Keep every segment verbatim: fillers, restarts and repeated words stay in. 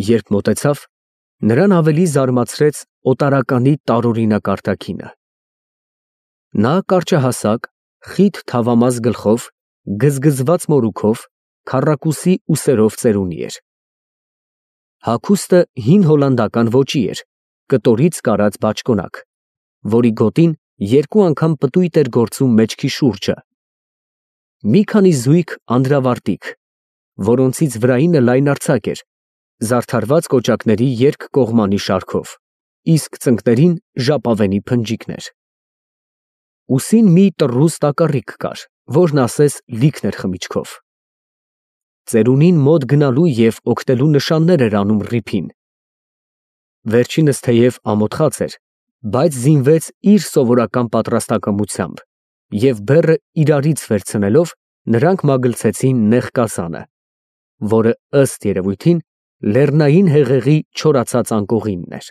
Երբ մոտեցավ, նրան ավելի զարմացրեց օտարականի տարօրինակ արտաքինը։ Նա կարճահասակ, խիտ թավամաս գլխով, գզգզված մորուքով, քառակուսի ուսերով ծերունի էր։ Հագուստը հին հոլանդական ոճի էր, կտորից կարած բաճկոնակ, որի գոտին երկու անգամ պտույտ էր գործում մեջքի շուրջը։ Մի քանի զույգ անդրավարտիք, որոնցից վրայինը լայնարձակ էր, զարդարված կոճակների երկկողմանի շարքով, իսկ ծնկներին ժապավենի փնջիկներ։ Ուսին մի տռուս տակառիկ կար, որն ասես լիքն էր խմիչքով։ Ծերունին մոտ գնալու և օգնելու նշաններ էր անում ռիփին։ Վերջինս թեև ամոթխած էր, բայց զինվեց իր սովորական պատրաստակամությամբ, և բեռը իրարից վերցնելով, նրանք մագլցեցին նեղ կազանը, որը, ըստ երևույթին, լեռնային հեղեղի չորացած անկողինն էր։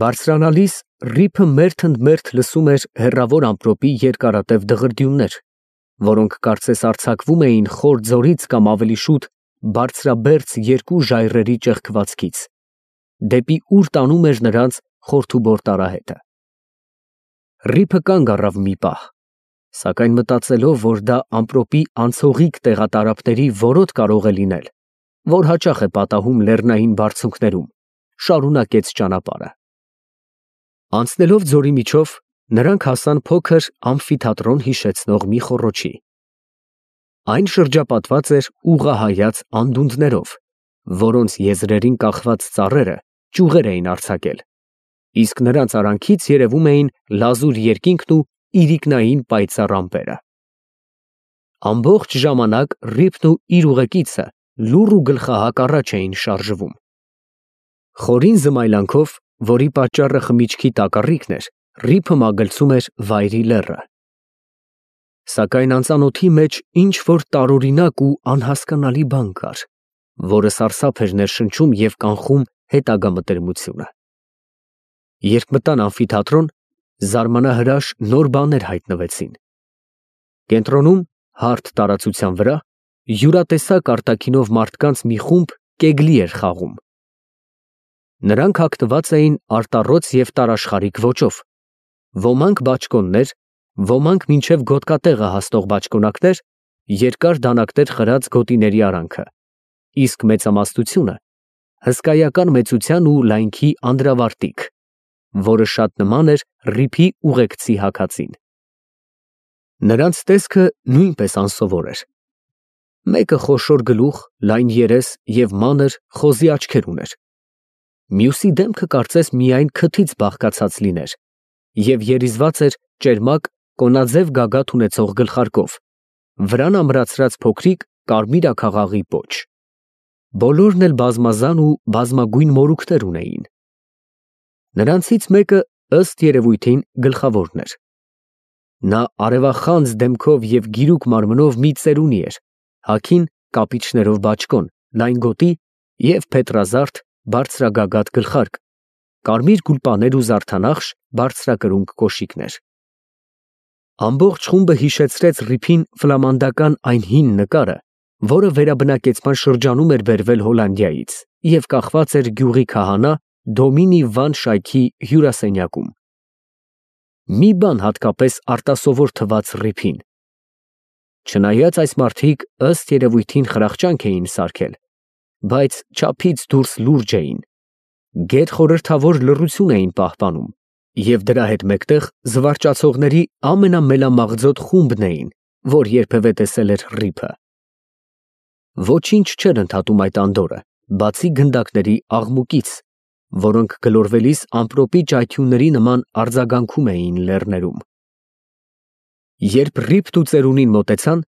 Բարձրանալիս ռիփը մերթընդմերթ լսում էր հեռավոր ամպրոպի երկարատև դղրդյուններ, որոնք կարծես արձակվում էին խոր ձորից կամ ավելի շուտ բարձրաբերձ երկու ժայռերի ճեղքվածքից, դեպի ուր տանում էր նրանց խորթուբոր տարահետը։ Ռիփը կանգ առավ մի պահ, սակայն մտածելով, որ դա ամպրոպի անցողիկ տեղատարափների որոտ կարող է լինել, որ հաճախ է պատահում լեռնային բարձունքներում, շարունակեց ճանապարհը։ Անցնելով ձորի միջով, նրանք հասան փոքր ամֆիթատրոն հիշեցնող մի խոռոչի։ Այն շրջապատված էր ուղղահայաց անդունդներով, որոնց եզրերին կախված ծառերը ճյուղեր էին արձակել, իսկ նրանց արանքից երևում էին լազուր երկինքն ու իրիկնային պայծառ ամպերը։ Ամբողջ ժամանակ ռիփն ու իր ուղեկիցը լուռ ու գլխահակ առաջ էին շարժվում։ Խորին զմայլանքով, որի պատճառը խմիչքի տակառիկն էր, ռիփը մագլցում էր Վայրի լեռը։ Սակայն անծանոթի մեջ ինչ-որ տարօրինակ ու անհասկանալի բան կար, որը սարսափ էր ներշնչում և կանխում հետագա մտերմությունը։ Երբ մտան ամֆիթատրոն, զարմանահրաշ նոր բաներ հայտնվեցին։ Կենտրոնում, հարթ տարածության վրա, յուրատեսակ արտաքինով մարդկանց մի խումբ կեգլի էր խաղում։ Նրանք հագնված էին արտառոց և տարաշխարիկ ոճով, ոմանք բաճկոններ, ոմանք մինչև գոտկատեղը հասնող բաճկոնակներ, երկար դանակներ խրած գոտիների արանքը, իսկ մեծամասնությունը հսկայական մեծության ու լայնքի անդրավարտիք, որը շատ նման էր ռիփի ուղեկցի հագածին։ Նրանց տեսքը նույնպես անսովոր էր։ Մեկը խոշոր գլուխ, լայն երես և մանր, խոզի աչքեր ուներ։ Մյուսի դեմքը կարծես միայն քթից բաղկացած լիներ և երիզված էր ճերմակ, կոնաձև գագաթ ունեցող գլխարկով, վրան ամրացրած փոքրիկ կարմիր աքաղաղի պոչ։ Բոլորն էլ բազմազան ու բազմագույն մորուքներ ունեին։ Նրանցից մեկը, ըստ երևույթին, գլխավորն էր։ Նա արևախանձ դեմքով և գիրուկ մարմնով մի ծերունի էր, հագին կապիչներով բաճկոն, լայն գոտի և փետրազարդ, բարձրագագաթ գլխարկ, կարմիր գուլպաներ ու զարդանախշ, բարձրակրունկ կոշիկներ։ Ամբողջ խումբը հիշեցրեց ռիփին ֆլամանդական այն հին նկարը, որը վերաբնակեցման շրջանում էր բերվել Հոլանդիայից և կախված էր գյուղի քահանա Դոմինի Վան Շայքի հյուրասենյակում։ Մի բան հատկապես արտասովոր թվաց ռիփին։ Չնայած այս մարդիկ ըստ երևույթին խրախճանք էին սարքել, բայց չափից դուրս լուրջ էին, գերխորհրդավոր լռություն էին պահպանում և դրա հետ մեկտեղ զվարճացողների ամենամելամաղձոտ խումբն էին, որ երբևէ տեսել էր ռիփը։ Ոչինչ չէր ընդհատում այդ անդորրը, բացի գնդակների աղմուկից, որոնք գլորվելիս ամպրոպի ճայթյունների նման արձագանքում էին լեռներում։ Երբ ռիփն ու ծերունին մոտեցան,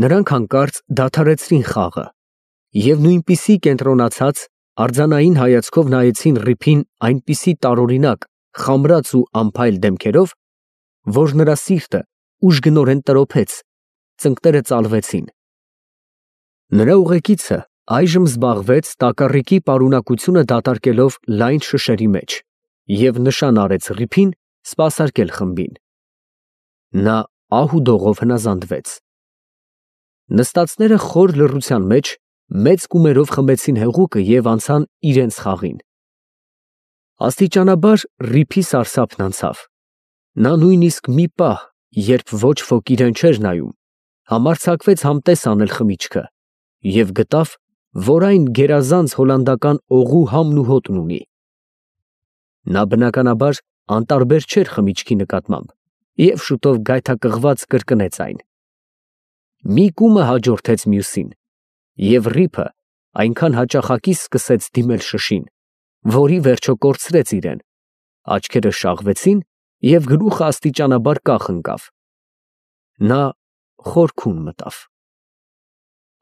նրանք հանկարծ դադարեցրին խաղը և նույնպիսի կենտրոնացած, արձանային հայացքով նայեցին ռիփին այնպիսի տարօրինակ, խամրած ու անփայլ դեմքերով, որ նրա սիրտը ուժգնորեն տրոփեց, ծնկները ծալվեցին։ Նրա ուղեկիցը այժմ զբաղվեց տակառիկի պարունակությունը դատարկելով լայն շշերի մեջ և նշան արեց ռիփին սպասարկել խմբին։ Նա ահ ու դողով հնազանդվեց։ Նստածները խոր լռության մեջ մեծ կումերով խմեցին հեղուկը և անցան իրենց խաղին։ Աստիճանաբար Ռիփի սարսափն անցավ։ Նա նույնիսկ մի պահ, երբ ոչ ոք իրեն չէր նայում, համարձակվեց համտես անել խմիչքը և գտավ, որ այն գերազանց հոլանդական օղու համն ու հոտն ունի։ Նա բնականաբար անտարբեր չէր խմիչքի նկատմամբ և շուտով գայթակղված կրկնեց այն։ Մի կումը հաջորդեց մյուսին, և Ռիփը այնքան հաճախակի սկսեց դիմել շշին, որի վերջո կորցրեց իրեն, աչքերը շաղվեցին և գլուխը աստիճանաբար կախ ընկավ։ Նա խորքում մտավ։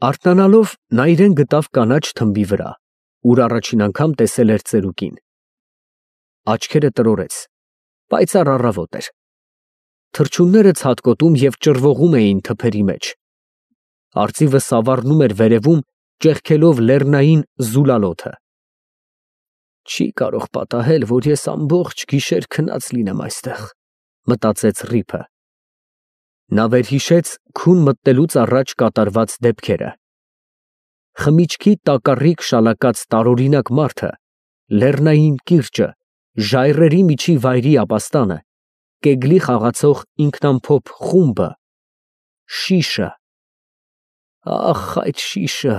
Արթնանալով նա իրեն գտավ կանաչ թմբի վրա, ուր առաջին անգամ տեսել էր ծերուկին։ Աչքերը տրորեց, պայծառ առավոտ էր։ Թռչունները ցատկոտում և ճռվողում էին թփերի մեջ։ Արծիվը սավառնում էր վերևում, ճեղքելով լեռնային զուլալոդը։ Չի կարող պատահել, որ ես ամբողջ գիշեր քնած լինեմ այստեղ, մտածեց Ռիփը։ Նա վերհիշեց քուն մտնելուց առաջ կատարված դեպքերը։ Խմիչքի տակառիկ շալակած տարօրինակ մարդը, լեռնային կիրճը, ժայռերի միջի վայրի ապաստանը, կեգլի խաղացող ինքնամփոփ խումբը, շիշը։ Ահ, այդ շիշը,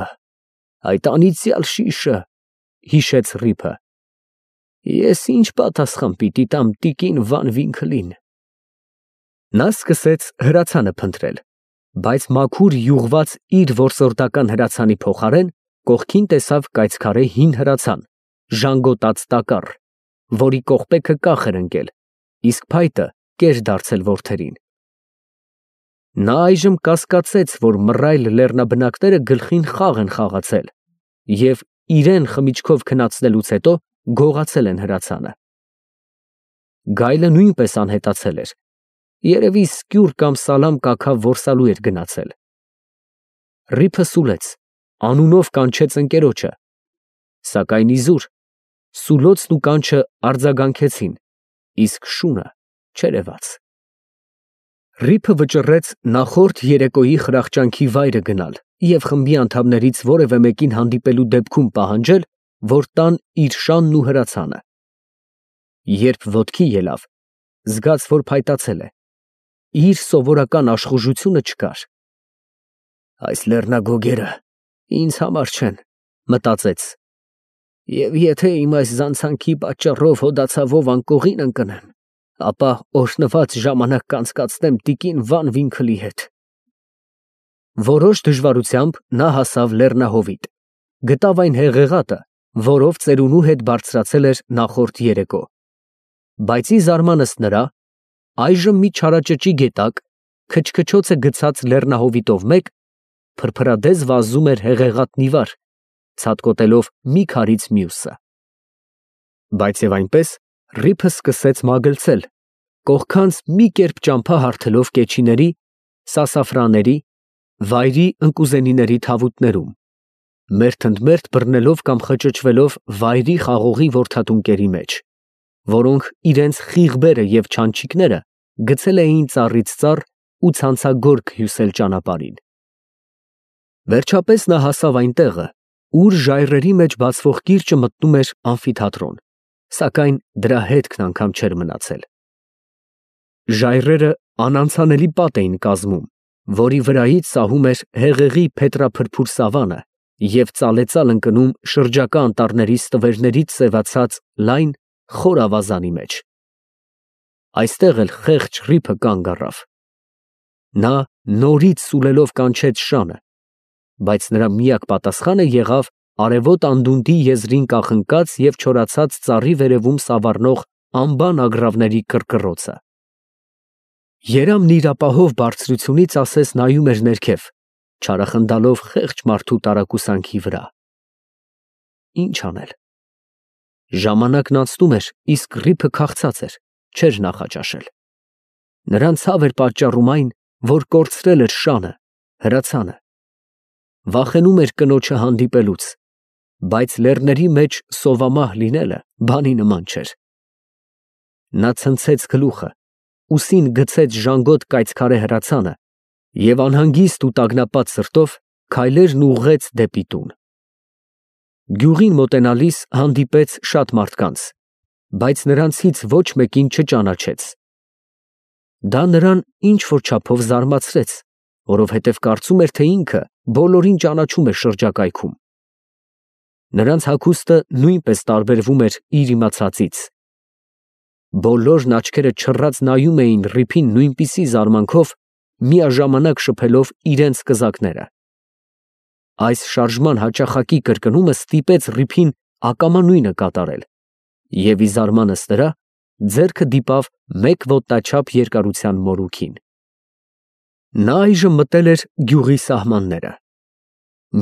այդ անիծյալ շիշը, հիշեց Ռիփը։ Ես ինչ պատասխան պիտի տամ տիկին Վան Վինքլին։ Նա սկսեց հրացանը փնտրել, բայց մաքուր յուղված իր որսորդական հրացանի փոխարեն կողքին տեսավ կայծքարե հին հրացան, ժանգոտած տակառ, որի կողպեքը կախ էր ընկել, իսկ փայտը կեր դարձել որդերին։ Նա այժմ կասկածեց, որ մռայլ լեռնաբնակները գլխին խաղ են խաղացել և իրեն խմիչքով քնացնելուց հետո գողացել են հրացանը։ Գայլը նույնպես անհետացել էր, երևի սկյուռ կամ սալամ կաքավ որսալու էր գնացել։ Ռիփը սուլեց, անունով կանչեց ընկերոջը, սակայն իզուր, սուլոցն ու կանչը արձագանքեցին, իսկ շունը չերևաց։ Ռիփը վճռեց նախորդ երեկոյի խրախճանքի վայրը գնալ և խմբի անդամներից որևէ մեկին հանդիպելու դեպքում պահանջել, որ տան իր շանն ու հրացանը։ Երբ ոտքի ելավ, զգաց, որ փայտացել է։ Իր սովորական աշխուժությունը չկար։ Այս լեռնագոգերը ինձ համար չեն, մտածեց, և եթե իմ այս զանցանքի պատճառով հոդացավով անկողին ընկնեմ, ապա օրհնված ժամանակ կանցկացնեմ տիկին Վան Վինքլի հետ։ Որոշ դժվարությամբ նա հասավ լեռնահովիտ, գտավ այն հեղեղատը, որով ծերունու հետ բարձրացել էր նախորդ երեկո, բայց ի զարմանս նրա, այժմ մի չարաճճի գետակ, քչքչոցը գցած լեռնահովիտով մեկ, փրփրադես վազում էր հեղեղատնի վար, ցատկոտելով մի քարից մյուսը։ Բայց և այնպես Ռիփը սկսեց մագլցել, կողքանց մի կերպ ճամփա հարթելով կեչիների, սասաֆրանների, վայրի ընկուզենիների թավուտներում, մերթընդմերթ բռնելով կամ խճճվելով վայրի խաղողի որդատունկերի մեջ, որոնք իրենց խիղբերը և չանչիկները գցել էին ծառից ծառ ու ցանցագորգ հյուսել ճանապարհին։ Վերջապես նա հասավ այն տեղը, ուր ժայռերի մեջ բացվող կիրճը մտնում էր ամֆիթատրոն, սակայն դրա հետքն անգամ չէր մնացել։ Ժայռերը անանցանելի պատ էին կազմում, որի վրայից սահում էր հեղեղի փետրափրփուր սավանը և ծալեծալ ընկնում շրջակա անտառների ստվերներից սևացած լայն, խոր ավազանի մեջ։ Այստեղ էլ խեղճ Ռիփը կանգ առավ։ Նա նորից սուլելով կանչեց շանը, բայց նրա միակ պատասխանը եղավ արևոտ անդունդի եզրին կախնկած և չորացած ծառի վերևում սավառնող անբան ագռավների կռկռոցը։ Երամն իր ապահով բարձրությունից ասես նայում էր ներքև, չարախնդալով խեղճ մարդու տարակուսանքի վրա։ Ինչ անել։ Ժամանակն անցնում էր, իսկ Ռիփը քաղցած էր, չէր նախաճաշել։ Նրան ցավ էր պատճառում այն, որ կորցրել էր շանը, հրացանը։ Վախենում էր կնոջը հանդիպելուց, բայց լեռների մեջ սովամահ լինելը բանի նման չէր։ Նա ցնցեց գլուխը, ուսին գցեց ժանգոտ կայծքարե հրացանը և անհանգիստ ու տագնապած սրտով քայլերն ուղղեց դեպի տուն։ Գյուղին մոտենալիս հանդիպեց շատ մարդկանց, բայց նրանցից ոչ մեկին չճանաչեց։ Դա նրան ինչ-որ չափով զարմացրեց, որովհետև կարծում էր, թե ինքը բոլորին ճանաչում է շրջակայքում։ Նրանց հագուստը նույնպես տարբերվում էր իր իմացածից։ Բոլորն աչքերը չռած նայում էին Ռիփին նույնպիսի զարմանքով, միաժամանակ շփելով իրենց կզակները։ Այս շարժման հաճախակի կրկնումը ստիպեց Ռիփին ակամա նույնը կատարել, և ի զարմանս նրա, ձեռքը դիպավ մեկ ոտնաչափ երկարության մորուքին։ Նա այժմ մտել էր գյուղի սահմանները։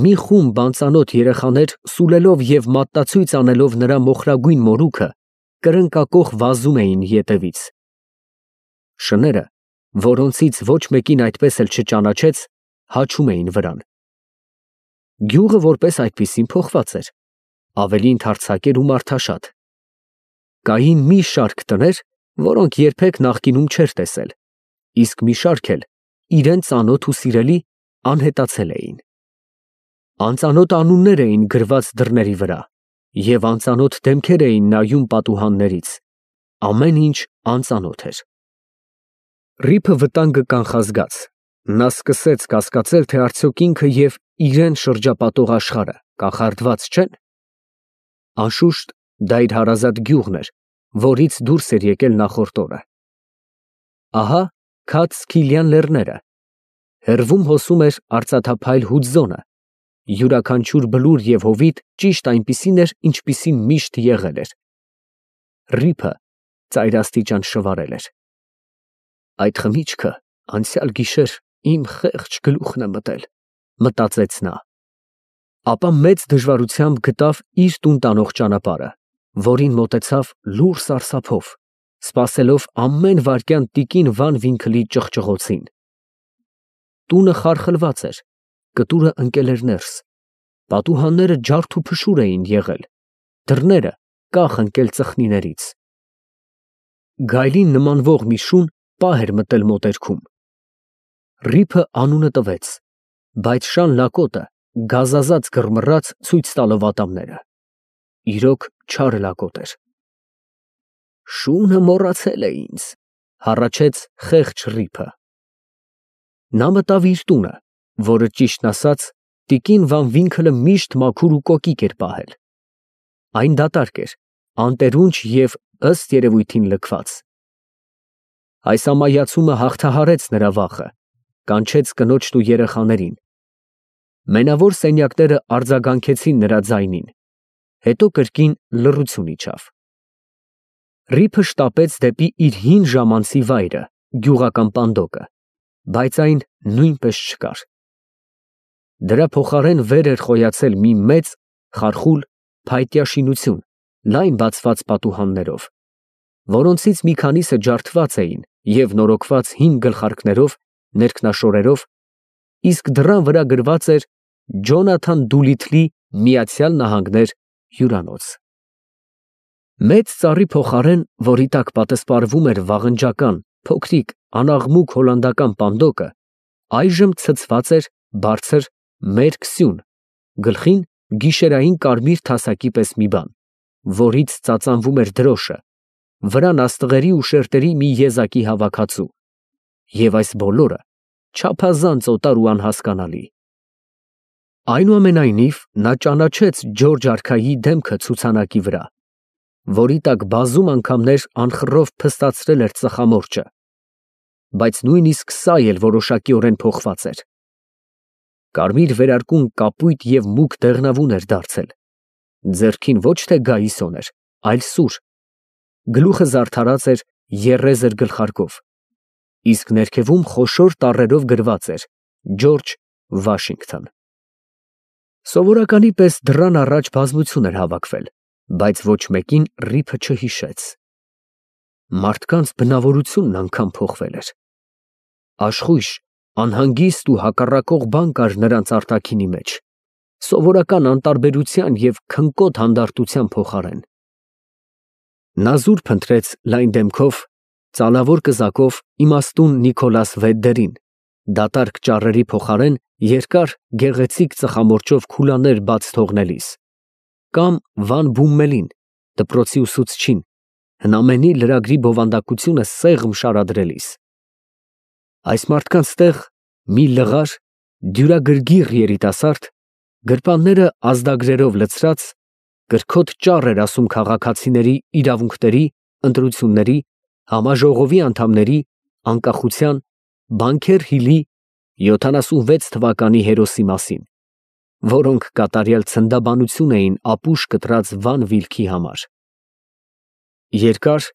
Մի խումբ անծանոթ երեխաներ սուլելով և մատնացույց անելով նրա մոխրագույն մորուքը, կրնկակոխ վազում էին ետևից։ Շները, որոնցից ոչ մեկին այդպես էլ չճանաչեց, հաչում էին վրան։ Գյուղը որպես այդպիսին փոխված էր, ավելի ընդարձակ էր ու մարդաշատ։ Կային մի շարք տներ, որոնք երբեք նախկինում չէր տեսել, իսկ մի շարք էլ իրան ծանոթ ու սիրելի անհետացել էին։ Անծանոթ անուններ էին գրված դռների վրա, և անծանոթ դեմքեր էին նայում պատուհաններից, ամեն ինչ անծանոթ էր։ Ռիփը վտանգը կանխազգաց, նա սկսեց կասկածել, թե արդյոք ինքը և իրան շրջապատող աշխարհը կախարդված չեն։ Անշուշտ, դա իր հարազատ գյուղն էր, որից դուրս էր եկել նախորդ օրը։ Ահա քաջ Սքիլյան լեռները, հեռվում հոսում էր արծաթափայլ Հուձոնը, յուրաքանչյուր բլուր և հովիտ ճիշտ այնպիսին էր, ինչպիսին միշտ եղել էր։ Ռիփը ծայրաստիճան շվարել էր։ Այդ խմիչքը անցյալ գիշեր իմ խեղճ գլուխն է մտել, մտածեց նա։ Ապա մեծ դժվարությամբ գտավ իր տուն տանող ճանապարհը, որին մոտեցավ լուռ սարսափով, սպասելով ամեն վայրկյան տիկին Վան Վինքլի ճղճղոցին։ Տունը խարխլված էր, կտուրը ընկել էր ներս, պատուհանները ջարդ ու փշուր էին եղել, դռները կախ ընկել ծխնիներից։ Գայլին նմանվող մի շուն պահ էր մտել մոտերքում։ Ռիփը անունը տվեց, բայց շան լակոտը գազազած գրմռաց ցույց տալով ատամները։ Իրոք չար լակոտ էր։ Շունը մոռացել է ինձ, հառաչեց խեղճ Ռիփը։ Նա մտավ իր տունը, որը ճիշտն ասած տիկին Վան Վինքլը միշտ մաքուր ու կոկիկ էր պահել։ Այն դատարկ էր, անտերունջ և ըստ երևույթին լքված։ Այս ամայացումը հաղթահարեց նրա վախը, կանչեց կնոջն ու երեխաներին։ Մենավոր սենյակները արձագանքեցին նրա ձայնին, հետո կրկին լռություն իջավ։ Ռիփը շտապեց դեպի իր հին ժամանցի վայրը, գյուղական պանդոկը, բայց այն նույնպես չկար։ Դրա փոխարեն վեր էր խոյացել մի մեծ, խարխուլ, փայտյա շինություն, լայն բացված պատուհաններով, որոնցից մի քանիսը ջարդված էին և նորոգված հին գլխարկներով, ներքնաշորերով, իսկ դռան վրա գրված էր Ջոնաթան Դուլիթլի Միացյալ Նահանգներ հյուրանոց։ Մեծ ծառի փոխարեն, որի տակ պատսպարվում էր վաղնջական, փոքրիկ, անաղմուկ հոլանդական պանդոկը, այժմ ցցված էր բարձր, մերկ սյուն, գլխին գիշերային կարմիր թասակի պես մի բան, որից ծածանվում էր դրոշը, վրան աստղերի ու շերտերի մի եզակի հավաքածու, և այս բոլորը չափազանց օտար ու անհասկանալի։ Այնուամենայնիվ, նա ճանաչեց Ջորջ արքայի դեմքը ցուցանակի վրա, որի տակ բազում անգամներ անխռով փստացրել էր ծխամորճը, բայց նույնիսկ սա էլ որոշակիորեն փոխված էր։ Կարմիր վերարկուն կապույտ և մուգ դեղնավուն էր դարձել, ձեռքին ոչ թե գայիսոն էր, այլ սուր, գլուխը զարդարած էր եռեզր գլխարկով, իսկ ներքևում խոշոր տառերով գրված էր Ջորջ Վաշինգթոն։ Սովորականի պես դռան առաջ բազմություն էր հավաքվել, բայց ոչ մեկին Ռիփը չհիշեց։ Մարդկանց բնավորությունն անգամ փոխվել էր։ Աշխույժ, անհանգիստ ու հակառակող բան կար նրանց արտաքինի մեջ, սովորական անտարբերության և քնկոտ հանդարտության փոխարեն։ Նա զուր փնտրեց լայն դեմքով, ծալավոր կզակով իմաստուն Նիկոլաս Վեդդերին, դատարկ ճառերի փոխարեն երկար, գեղեցիկ ծխամորճով քուլաներ բաց թողնելիս, կամ Վան Բումմելին, դպրոցի ուսուցչին, հնամենի լրագրի բովանդակությունը սեղմ շարադրելիս։ Այս մարդկանց տեղ մի լղար, դյուրագրգիռ երիտասարդ, գրպանները ազդագրերով լցրած, կրքոտ ճառ էր ասում քաղաքացիների իրավունքների, ընտրությունների, համաժողովի անդամների, անկախության, Բանքեր Հիլի յոթանասունվեց թվականի հերոսի մասին, որոնք կատարյալ ցնդաբանություն էին ապուշ կտրած Վան Վիլքի համար։ Երկար,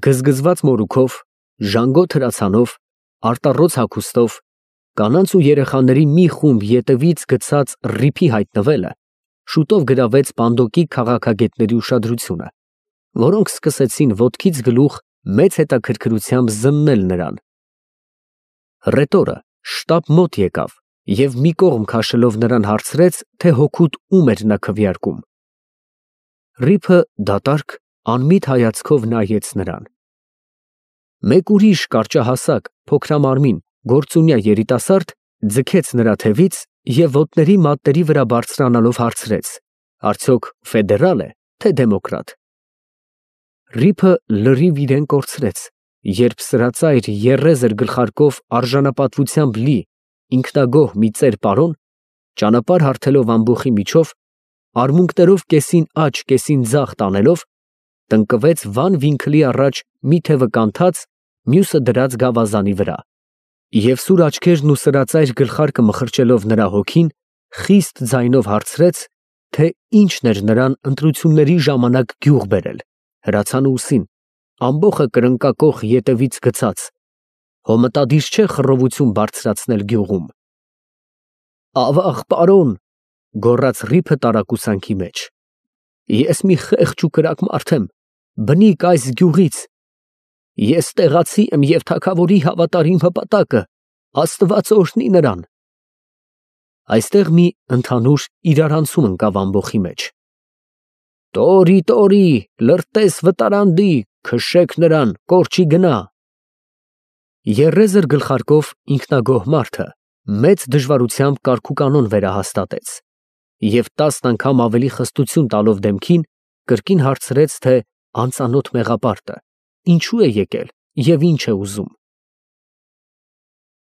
գզգզված մորուքով, ժանգոտ հրացանով, արտառոց հագուստով, կանանց ու երեխաների մի խումբ ետևից գցած ռիփի հայտնվելը շուտով գրավեց Պանդոկի քաղաքագետների ուշադրությունը, որոնք սկսեցին ոտքից գլուխ մեծ հետաքրքրությամբ զննել նրան։ Ռետորը շտապ մոտ եկավ և մի կողմ քաշելով նրան հարցրեց, թե հօգուտ ում էր նա քվեարկում։ Ռիփը դատարկ, անմիտ հայացքով նայեց նրան։ Մեկ ուրիշ կարճահասակ, փոքրամարմին, գործունյա երիտասարդ ձգեց նրա թևից և ոտների մատների վրա բարձրանալով հարցրեց. «Արդյոք ֆեդերալ է, թե դեմոկրատ»։ Ռիփը լրիվ իրեն կորցրեց, երբ սրածայր եռեզր գլխարկով արժանապատվությամբ լի, ինքնագոհ մի ծեր պարոն, ճանապարհ հարթելով ամբոխի միջով, արմունկներով կեսին աջ, կեսին ձախ տանելով, տնկվեց Վան Վինքլի առաջ մի թևը կանթած, մյուսը դրած գավազանի վրա, և սուր աչքերն ու սրածայր գլխարկը մխրճելով նրա հոգին, խիստ ձայնով հարցրեց, թե ինչն էր նրան ընտրությունների ժամանակ գյուղ բերել, հրացանը ուսին, ամբոխը կրնկակոխ ետևից գցած, հո մտադիր չէ խռովություն բարձրացնել գյուղում։ «Ավաղ, պարոն», գոռաց Ռիփը տարակուսանքի մեջ, «ես մի խեղճ ու կրակ մարդ եմ, բնիկ այս գյուղից, ես տեղացի եմ և թագավորի հավատարիմ հպատակը, Աստված օրհնի նրան»։ Այստեղ մի ընդհանուր իրարանցում ընկավ ամբոխի մեջ։ «Տորի, տորի, լրտես վտարանդի, քշեք նրան, կորչի գնա»։ Եռեզր գլխարկով ինքնագոհ մարդը մեծ դժվարությամբ կարգուկանոն վերահաստատեց և տասն անգամ ավելի խստություն տալով դեմքին, կրկին հարցրեց, թե անծանոթ մեղապարտը ինչու է եկել և ինչ է ուզում։